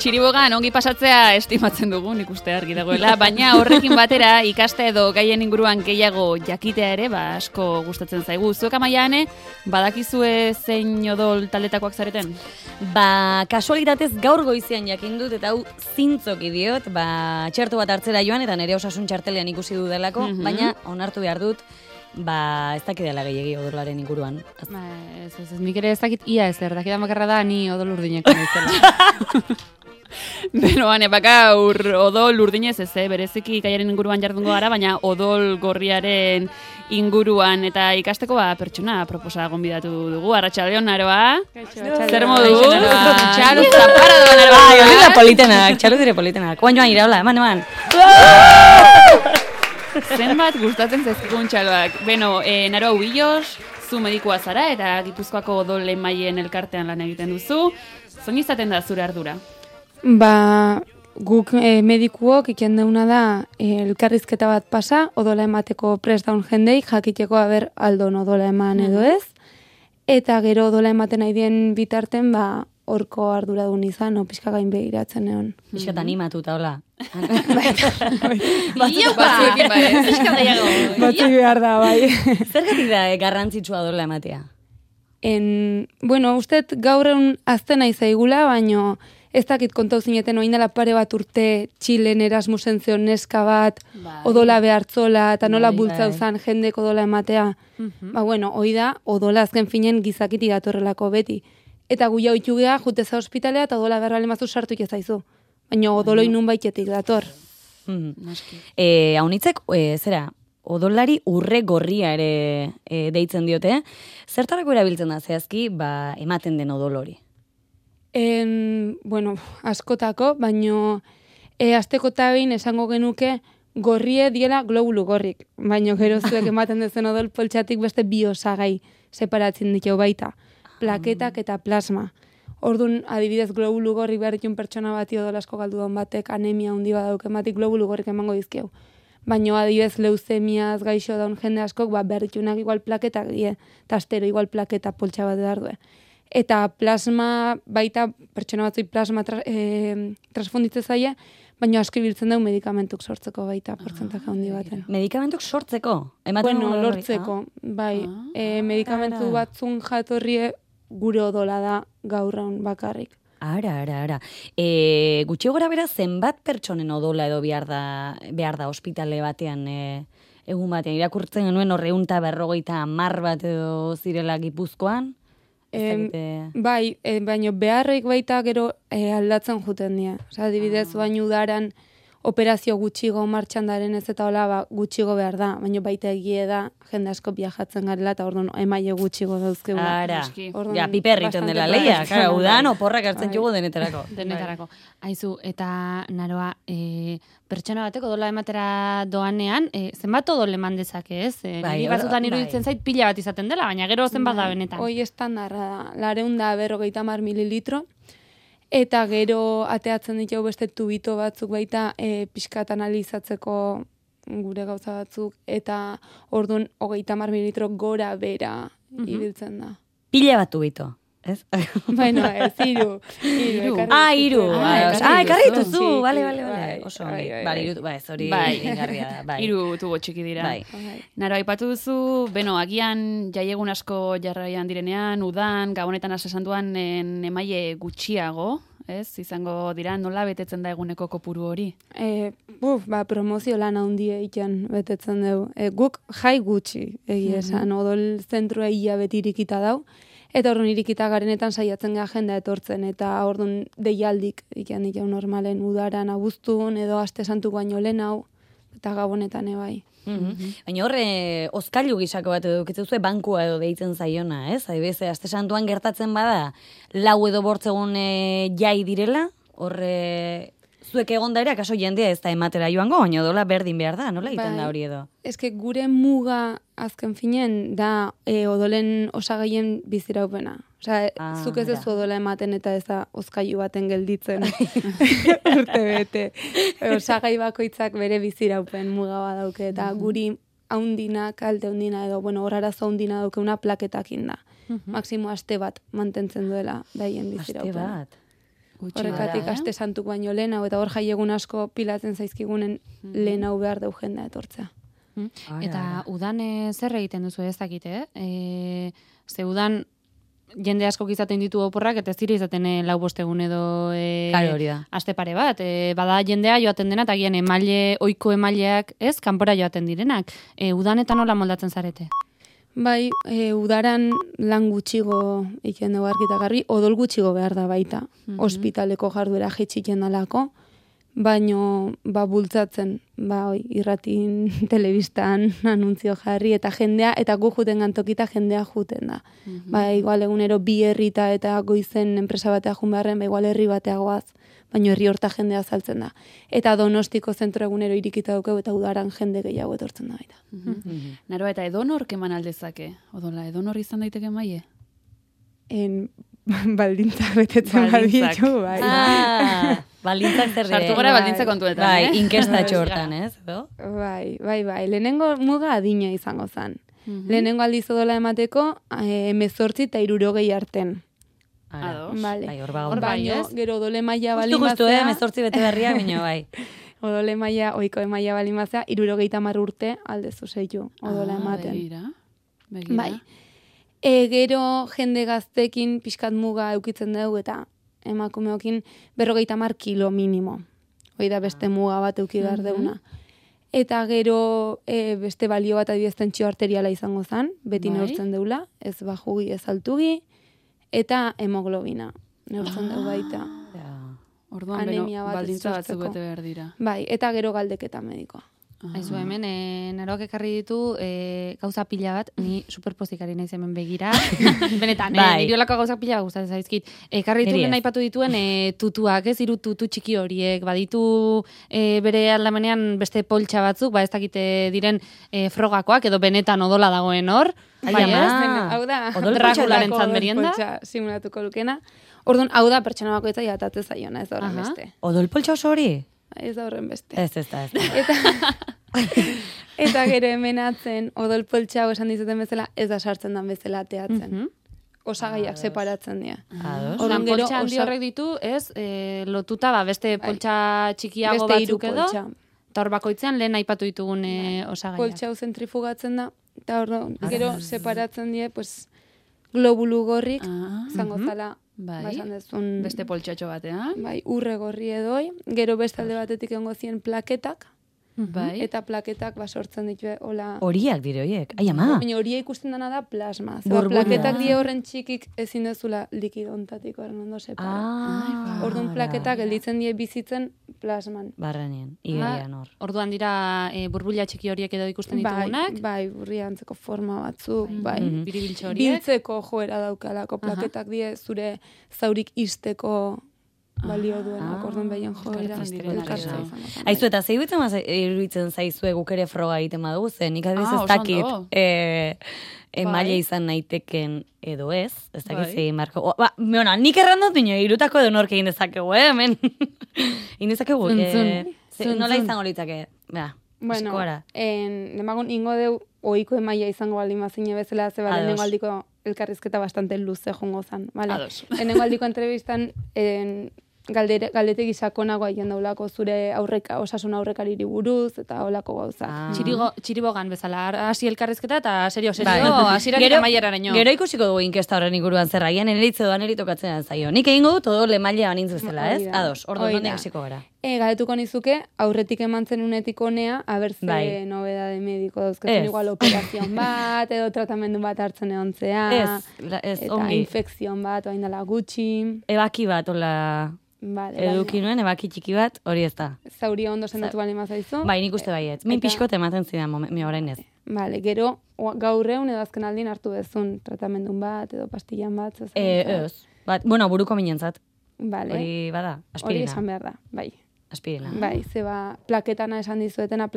Txiribogan ongi pasatzea estimatzen dugu, nik uste argi dagoela, baina horrekin batera ikaste edo gaien inguruan gehiago jakitea ere, asko gustatzen zaigu. Zuek Amaiane, badakizue zein odol taldetakoak zareten? Kasualitatez gaur goizean jakin dut, eta hau zintzoki diot, txertu bat hartzera joan, eta nire osasun txartelean ikusi dudalako, baina onartu behar dut, ez dakit dela gehiagi odolaren inguruan. Nik ere ez dakit ia ezer, dakidan bakarra da ni odol urdineko naizela. Beno, gaur odol urdinez ez, bereziki gaiaren inguruan jardungo gara, baina odol gorriaren inguruan eta ikasteko pertsona proposa gonbidatu dugu. Arratsaldeon, Aroa. Zer modu? Txalo zapara doan, Aroa. Olida politenak, txalo dire politenak. Koan joan iraola, eman. Zenbat gustatzen zaizkikun txaloak. Beno, Naroa Ubillos, zu medikua zara eta Gipuzkoako odol emaileen elkartean lan egiten duzu. Zoin izaten da zure ardura? Guk medikuok iken deuna da elkarrizketa bat pasa, odola emateko prest daun jendei, jakiteko aldon odola eman edo ez, eta gero odola ematen nahi dien bitarten, horko arduradun izan, pixka gain behiratzen egon. Piskat animatuta, hola. Batzuekin Batzu behar da, bai. Zergatik da garrantzitsua odola ematea? Ustet gaur egun azten nahi zaigula, baino ez dakit kontau zineten oin dela pare bat urte Txilen Erasmusen zeon neska bat, odola behartzola, eta nola bultzau zan jendek odola ematea. Hoi da, odola azken finen gizakiti datorrelako beti. Eta gu jau itxugea, juteza ospitalea, eta odola beharra lemazu sartu ikizaizu. Baina odoloi nun baitetik dator. Haunitzek, odolari urre gorria ere deitzen diote. Zertarako erabiltzen da zehazki, ematen den odolori? Askotako, baino asteko tabein esango genuke gorrie diela globulu gorrik. Baino gero zuek ematen dezen odol poltsatik beste bi osagai separatzen ditu baita. Plaketak eta plasma. Orduan, adibidez, globulu gorrik behar ditun pertsona bati odol asko galdu daun batek anemia handi badauk ematik globulu gorrik emango dizkeu. Baina adibidez leuzemiaz gaixo daun jende askok behar ditunak igual plaketak die, eta astero igual plaketa poltsa bat behar due. Eta plasma, baita pertsona batzui plasma transfunditze zaie, baina asko ibiltzen dugu medikamentuk sortzeko baita, portzentaje handi baten. Medikamentuk sortzeko? Lortzeko, bai. Medikamentu batzun jatorrie gure odola da gaurraun bakarrik. Ara. Gutxi gora bera zenbat pertsonen odola edo behar da ospitale batean, egun batean, irakurtzen genuen 150 bat edo zirela Gipuzkoan? Bai, baina beharrik baita gero aldatzen juten dira. Adibidez, baina udaran operazio gutxigo martxan daren ez eta hola gutxigo behar da, baina baita egie da jende asko viajatzen garela eta orduan emaile gutxigo dauzkegu. Ara, piperriten dela leia, udan oporrak hartzen jugu denetarako. Denetarako. Aizu, eta Naroa, pertsona bateko odola ematera doanean, zenbat odol eman dezake, ez? Niri batzutan iruditzen zait pila bat izaten dela, baina gero zenbat da benetan. Hoi estandarra da, 250 mililitro, eta gero ateatzen ditu beste tubito batzuk baita pixkat analizatzeko gure gauza batzuk, eta orduan 30 mililitro gora bera ibiltzen da. Pila bat tubito, ez? Bueno, ez, iru. Iru. Ekarri dituzu, bale. Oso, ez hori ingarria da. Iru tubo txiki dira. Naro, aipatu duzu, agian jaiegun asko jarraian direnean, udan, gabonetan asesan duan emaile gutxiago, ez? Izango dira, nola betetzen da eguneko kopuru hori? Promozio lan handia egiten betetzen dugu. Guk jai gutxi egia esan, odol zentrua ia beti irikita dau, eta orduan irikita garenetan saiatzen gara jendea etortzen, eta orduan deialdik ikan ditu normalen udaran abuztun, edo aste santu baino lehen hau, eta gabonetan ebai. Baina horre, oskailu gisako bat edo dukitzen zuen bankua edo deitzen zaiona, ez? Adibidez, aste santuan gertatzen bada, 4 edo 5 egun jai direla, horre zuek egon da ere, akaso jendea ez da ematera joango, baina dola berdin behar da, nola egiten da hori edo? Eske gure muga azken finen da odolen osagaien biziraupena. Zuk ez ez odola ematen eta ez da oskailu baten gelditzen urte bete. Osagai bakoitzak bere biziraupen muga badauke eta guri haundina, kalte haundina edo, horarazo haundina daukeuna plaketakin da. Maksimo aste bat mantentzen duela daien biziraupen. Aste bat? Horrekatik aste santuk baino lehen hau, eta hor jaiegun asko pilatzen zaizkigunen lehen hau behar deu jendea etortzea. Eta udan zer egiten duzu ez dakite, ze udan jende asko izaten ditu oporrak, eta ez dira izaten lau bostegun edo aste pare bat. Bada jendea joaten dena, eta gian oiko emaileak ez, kanpora joaten direnak. Udanetan nola moldatzen zarete? Bai, udaran lan gutxigo egiten dugu argi eta garbi, odol gutxigo behar da baita. Ospitaleko jarduera jetxiken dalako, baino bultzatzen, irratin, telebistan, anuntzio jarri, eta jendea, eta gu juten gantokita jendea juten da. Igual egunero bi herrita eta goizen enpresa batea jun beharren, igual herri batea goaz, baino herri horta jendea saltzen da. Eta Donostiko zentro egunero irikita dukeu, eta udaran jende gehiago etortzen da baita. Naroa, eta edonor keman aldezake? Odola, edonor izan daiteke maie? Baldintzak betetzen baditu, bai. Baldintzak zer sartu gara baldintza kontuetan, bai, inkestatxo hortan, ez? Bai. Lehenengo muga adina izango zen. Lehenengo aldiz odola emateko 18 eta 60 arten. Bai, baino, gero odole maila balimazea. Justu, 18 bete berria, baino, bai. Odole maila, oiko emaila balimazea, 60 urte aldezu zeitu odola ematen. Begira. Bai. Gero jende gaztekin pixkat muga eukitzen dugu eta emakumeokin 50 kilo minimo. Hoi da beste muga bat euki behar deuna. Eta gero beste balio bat adibidez tentsio arteriala izango zen, beti neurtzen deula, ez bajugi ez altugi, eta hemoglobina neurtzen dugu baita. Orduan beno, baldintza batzuk bete behar dira. Bai, eta gero galdeketa medikoa. Aizu hemen, naroak ekarri ditu gauza pila bat, ni superpozikari naiz hemen begira. Benetan, niri olako gauza pila bat gustatzen zaizkit. Ekarri ditu lehen aipatu dituen tutuak, ez, 3 tutu txiki horiek, baditu bere aldamenean beste poltsa batzuk, ez dakite diren frogakoak, edo benetan odola dagoen hor. Bai, ez? Hau da, Drakularen merienda. Simulatuko lukena. Orduan, hau da pertsona bakoitza jatatzen zaiona, ez da horren beste. Odol poltsa oso hori? Ez da horren beste. Ez da. Eta gero hemenatzen, odol poltsa esan dizuten bezala, ez da sartzen dan bezala teatzen. Osagaiak separatzen dira. Orduan, poltsa handi horrek ditu, ez, lotuta, beste poltsa txikiago batzuk edo, eta hor bakoitzean lehen aipatu ditugun osagaiak. Poltsa hau zentrifugatzen da, eta gero separatzen dira, globulu gorrik, zango zala, beste poltsatxo batean. Bai, urre gorri edoi, gero beste alde batetik egongo zien plaketak, eta plaketak sortzen ditu hola. Horiak dire horiek, ai ama. Baina horia ikusten dena da plasma. Plaketak die horren txikik ezin dezula likido ontatik horren ondo separa. Orduan plaketak gelditzen die bizitzen plasman. Barrenien, igerian hor. Orduan dira burbuila txiki horiek edo ikusten ditugunak. Bai, burria antzeko forma batzuk, bai. Biribiltxo horiek. Biltzeko joera daukalako plaketak die zure zaurik izteko balio duena, orduan behien joera. Aizu, eta zei iruditzen zaizue guk ere froga egiten badugu, zen nik adiz ez dakit emaile izan naiteken edo ez dakit zei marko. Nik errandot bine, irutako edo norke egin dezakegu, hemen. Egin dezakegu, nola izango litzake, bueno, demagun ingo deu oiko emaila izango baldin mazine bezala, zeba lehenengo aldiko elkarrizketa bastante luze jongo zan. Lehenengo aldiko entrevistan galdetegi sakonago haien daulako zure osasun aurrekariri buruz, eta holako gauza. Txiribogan bezala, hasi elkarrizketa eta serio, hasiratik amaieraraino. Gero ikusiko dugu inkesta horren inguruan zer agian, eritze doan eritokatzen zaio. Nik egingo dut, odol emailea banintz bezala, ez? Ados, orduan nondik hasiko gara. Galetuko nizuke, aurretik emantzen unetik honea, abertze nobedade mediko dauzkatzen igual operazion bat, edo tratamendu bat hartzen egontzea, eta infekzion bat, oain dela gutxi. Ebaki bat, hola... Eduki nuen, ebaki txiki bat, hori ez da. Zauria ondo zenatu bali mazaizu. Bai, nik uste baiet. Min pixkot ematen zidan, mi orain ez. Gero, gaur egun edo azken aldin hartu bezun tratamendun bat, edo pastillan bat. Ez. Bueno, buruko minentzat. Hori bada, aspirina. Hori esan behar da, bai. Aspirina. Bai, zeba, plaketana esan dizuetena,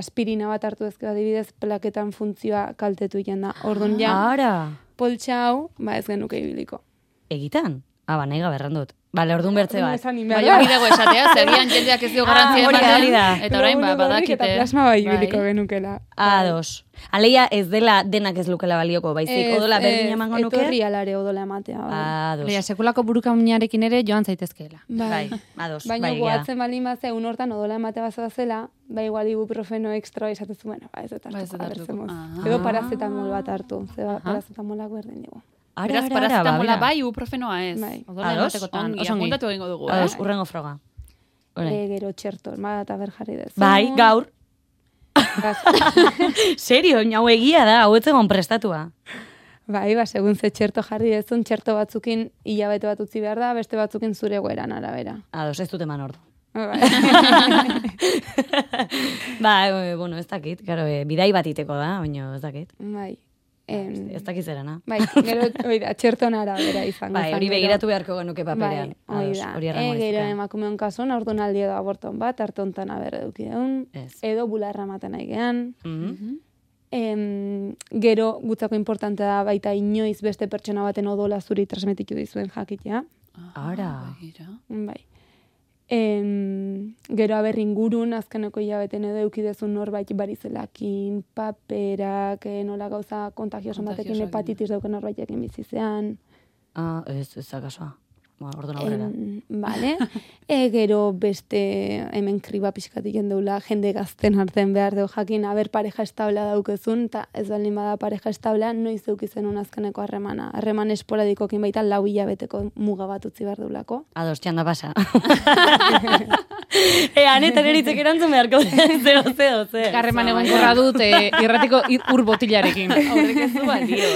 aspirina bat hartu ezkera dibidez, plaketan funtzioa kaltetu iten da. Orduan ja, poltsa hau, ez genuke ibiliko. Egitan? Nahi gaberran dut. Bale, orduan bertze bat. Baina hori dago esatea, zegian jendeak ez dio garantzia ematen, eta orain badakite. Eta plasma bai biliko genukela. Ados. Aleia ez dela denak ez lukela balioko, baizik, odola berdin emango nuke? Etorri alare odola ematea. Ados. Leia, sekulako burukamuinarekin ere joan zaitezkeela. Bai, ados. Baina goatzen balin bat un hortan odola ematea bazela, bai igual ibuprofeno extra izatezu, bueno, ez dut hartuko. Edo paracetamol bat hartu, paracetamolak berdin dugu. Beraz, paracetamola bai, ibuprofenoa ez. Odola ematekotan, oso apuntatu egingo dugu, Ados, urrengo froga. Gero txerto, eta berjarri dezu. Bai, gaur. Serio, hau egia da, hau etzegon prestatua. Bai, segun ze txerto jarri dezun, txerto batzukin hilabete bat utzi behar da, beste batzukin zure goeran arabera. Ados, ez dut eman ordu. Bueno, ez dakit, claro, bidai bat iteko da, baina ez dakit. Bai. Ez dakit zerana. Bai, gero, txerton arabera izango. Bai, hori begiratu beharko genuke paperean. Bai, hori da. Gero emakumeon kasuan, orduan aldi edo aborton bat, hartontan aberre dukideun, edo bularra maten nahi gehan. Gero, gutzako importante da baita inoiz beste pertsona baten odola zuri transmititu dizuen jakitea. Ara. Bai. Gero aber ingurun, azkeneko hilabeten edo eukidezun norbait barizelakin, paperak, nola gauza kontagioso batekin hepatitis dauken norbaitekin bizizean. Ez akasoa. Orduan aurrera. Vale. Gero beste hemen kriba pixkatik jendeula, jende gazten hartzen behar deu jakin, aber pareja establa daukezun, eta ez baldin bada pareja establa, noiz eukizen azkeneko harremana. Harreman esporadikokin baita 4 hilabeteko muga bat utzi behar deulako. Ados, txanda pasa. Anetan eritzek erantzun beharko zeo. Harreman egon korra dut irratiko ur botilarekin. Horrek ez du balio,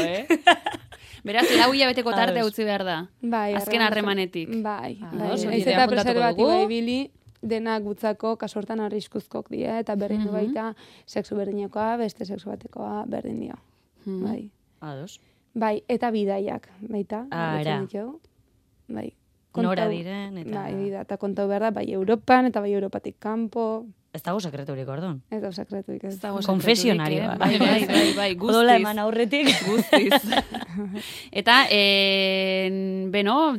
Beraz, 4 hilabeteko tarte utzi behar da. Bai. Azken harremanetik. Bai. Ez eta preservatiba ibili, denak gutzako kasortan arriskuzkok dira, eta berdin du baita sexu berdinekoa, beste sexu batekoa berdin dio. Bai. Ados. Bai, eta bidaiak, baita. Ara. Bai. Nora diren, eta... Bai, eta kontau behar da, bai Europan, eta bai Europatik kanpo. Ez dago sekreturik, orduan. Ez dago sekreturik. Konfesionario. Bai, guztiz. Odola eman aurretik. Guztiz. Eta,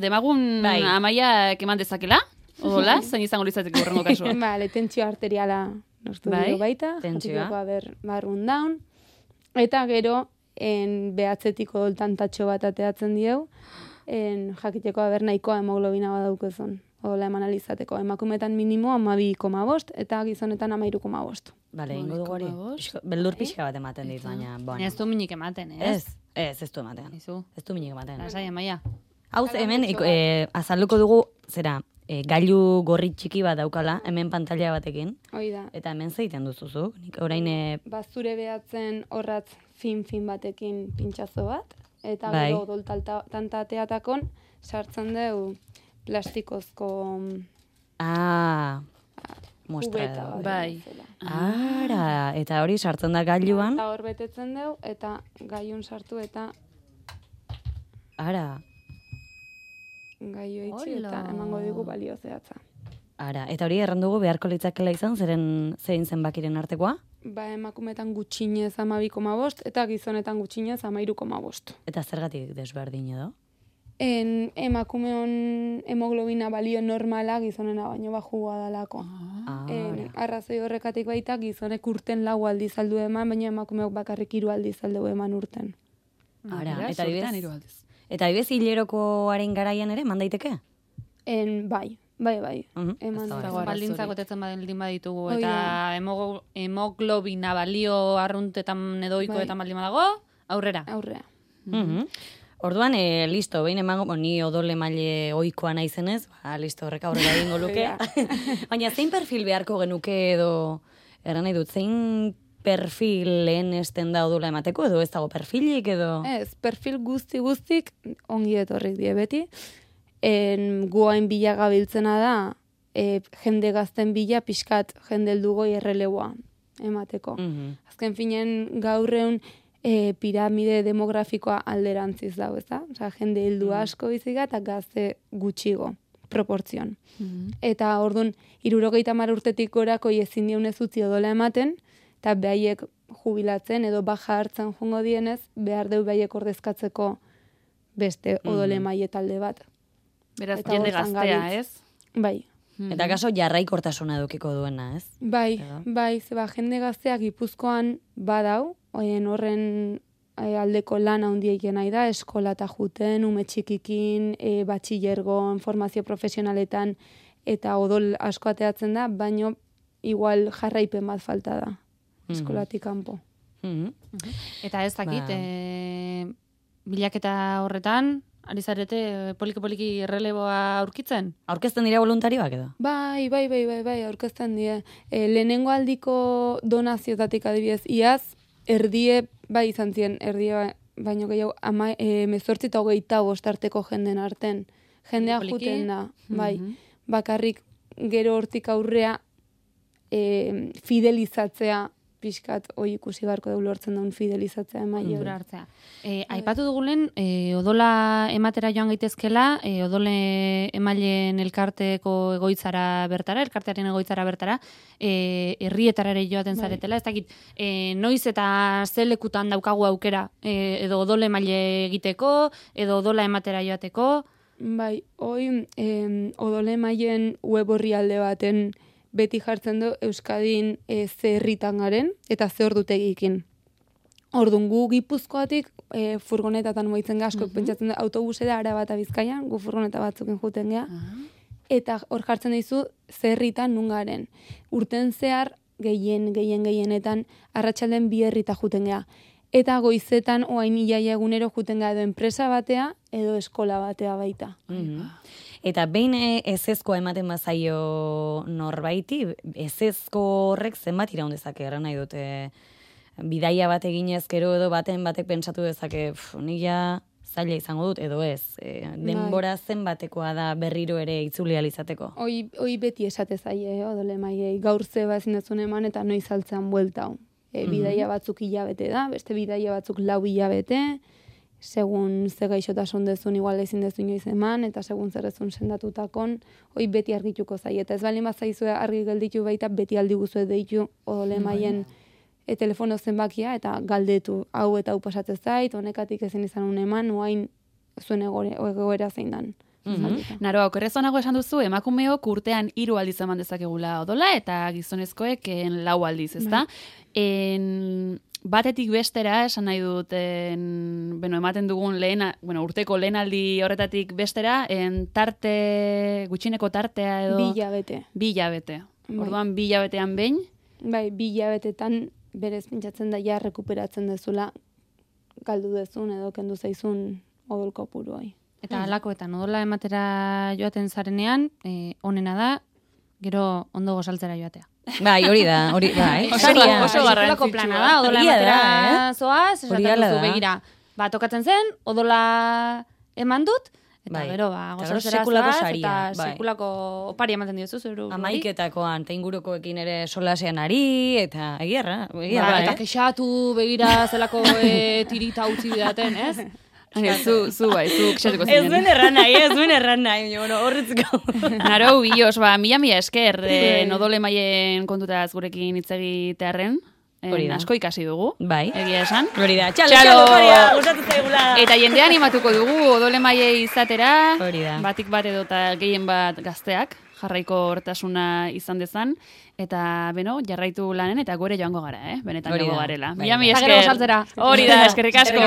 demagun Amaia eman dezakela? Odola, zein izango litzateke urrengo kasua? Bale, tentsio arteriala nostu dio baita. Tentsioa. Barrun down. Eta gero, behatzetiko tantatxo bat ateatzen dieu, jakiteko aber nahikoa hemoglobina badaukezun. Odola eman alizateko. Emakumetan minimo 12,5 eta gizonetan 13,5. Bale, ingo dugu hori. Beldur pixka bat ematen dit, baina... Ez du minik ematen, ez? Ez du ematen. Ez du minik ematen. Lasai, Amaia. Hau, hemen, azalduko dugu, gailu gorri txiki bat daukala, hemen pantalla batekin. Hoi da. Eta hemen zeiten duzuzuk. Nik orain... Zure behatzen horratz fin batekin pintxazo bat, eta gero odol tantateatakon sartzen dugu plastikozko... Muestra. Bai. Ara, eta hori sartzen da gailuan. Eta hor betetzen dugu, eta gailun sartu, eta... Ara. Gailu itxi, eta emango dugu balio zehatza. Ara, eta hori errandugu beharko litzakela izan, zein zenbakiren artekoa? Emakumetan gutxinez 12,5, eta gizonetan gutxinez 13,5. Eta zergatik desberdin edo? Emakumeon hemoglobina balio normala gizonena baino bajua dalako. Arrazoi horrekatik baita gizonek urten 4 aldiz aldu eman, baina emakumeok bakarrik 3 aldiz aldu eman urten. Ara, eta adibidez hilerokoaren garaian ere, mandaiteke? Bai. Baldintzak otetzen baldin baditugu, eta hemoglobina balio arruntetan edoikoetan baldin badago, aurrera. Orduan, listo, behin emango, ni odol emaile ohikoa naizenez, listo, horrek aurrera egingo luke. Baina zein perfil beharko genuke edo, erran nahi dut, zein perfil lehen esten da odola emateko edo ez dago perfilik edo? Ez, perfil guztik ongi etorrik die beti. Guain bila gabiltzena da, jende gazten bila pixkat jende heldugoi erreleboa emateko. Azken finen gaurreun, piramide demografikoa alderantziz dago, ez da? Osa, jende heldu asko biziga eta gazte gutxigo, proportzion. Eta orduan, 70 urtetik gorako ezin dionez utzi odola ematen, eta behaiek jubilatzen edo baja hartzen jungo dienez, behar deu behaiek ordezkatzeko beste odole maile talde bat. Beraz, jende gaztea, ez? Bai. Eta kaso jarraikortasuna edukiko duena, ez? Bai, zeba, jende gazteak Gipuzkoan badau, horren aldeko lan handiek nahi da, eskola eta juten, ume txikikin, batxillergon, formazio profesionaletan, eta odol asko ateatzen da, baino igual jarraipen bat falta da, eskolatik kanpo. Eta ez dakit, bilaketa horretan, ari zarete poliki erreleboa aurkitzen? Aurkezten dira voluntarioak edo? Bai, aurkezten die. Lehenengo aldiko donaziotatik adibidez, iaz, erdie, bai izan ziren, erdie baino gehiago, 18-25 arteko jenden arten. Jendea juten da, bai. Bakarrik gero hortik aurrea fidelizatzea pixkat, hoi ikusi barko dugu lortzen daun fidelizatzea emaile. Hartzea. Aipatu dugulen, odola ematera joan gaitezkela, odole emaileen elkarteko egoitzara bertara, elkartearen egoitzara bertara, herrietara ere joaten zaretela, ez dakit, noiz eta zelekutan daukagu aukera, edo odole emaile egiteko, edo odola ematera joateko? Bai, hoi odole emaileen web orrialde baten beti jartzen du Euskadin ze herritan garen eta ze ordutegikin. Orduan gu Gipuzkoatik furgonetatan moitzen askok pentsatzen da autobusera Araba eta Bizkaian, gu furgoneta batzukin juten gea. Eta hor jartzen dizu ze herritan nun garen. Urten zehar gehienetan arratsalden 2 herrita juten gea. Eta goizetan oain iaia egunero juten gea edo enpresa batea edo eskola batea baita. Eta behin ezezkoa ematen bazaio norbaiti, ezezko horrek zenbat iraun dezake, erran nahi dute bidaia bat eginez gero edo batek pentsatu dezake, nik ja zaila izango dut, edo ez. Denbora zenbatekoa da berriro ere itzuli alizateko. Hoi beti esate zaie, odole maiei, gaur zeba ezin dezun eman eta noiz altzean bueltau. Bidaia batzuk hilabete da, beste bidaia batzuk 4 hilabete, segun ze gaixotasun dezun igual ezin dezu inoiz eman, eta segun zer ezun sendatutakon, hoi beti argituko zai. Eta ez bali mazaizue argi gelditu baita, beti aldi guzue deitu odole maien telefono zenbakia, eta galdetu hau eta hau pasatzen zait, honekatik ezin izan un eman, oain zuen egoera zein dan. Naro, okerrezonago esan duzu, emakumeok urtean 3 aldiz eman dezakegula odola, eta gizonezkoek 4 aldiz, ezta? Batetik bestera, esan nahi dut, ematen dugun urteko lehenaldi horretatik bestera, gutxineko tartea edo... 2 hilabete. 2 hilabete. Orduan 2 hilabetean behin? Bai, 2 hilabetetan berez pentsatzen da ja rekuperatzen dezula galdu dezun edo kendu zaizun odol kopuruai. Eta halakoetan odola ematera joaten zarenean, onena da, gero ondo gozaltzera joatea. Bai, hori da, bai. Oso garrantzitsua plana da, odola ematera zoaz, esaten duzu begira. Tokatzen zen, odola eman dut, eta gero, gozaltzera zoaz, eta sekulako opari ematen diozu zuru. Amaiketakoan, eta ingurukoekin ere solasean ari, eta egiarra. Eta kexatu begira zelako tirita utzi bidaten, ez? Zu kexatuko zinen. Ez duen erran nahi, horretzko. Naro, bios, mila esker, odole maien kontutaz gurekin hitz egitearren. Asko ikasi dugu. Bai. Egia esan. Hori da. Txalo, Maria, gustatu zaigula. Eta jendea animatuko dugu odole maiei izatera. Hori da. Batik bat edo eta gehien bat gazteak jarraiko hortasuna izan dezan. Eta, jarraitu lanen eta gore joango gara, benetan joango garela. Mila esker. Hori da, eskerrik asko.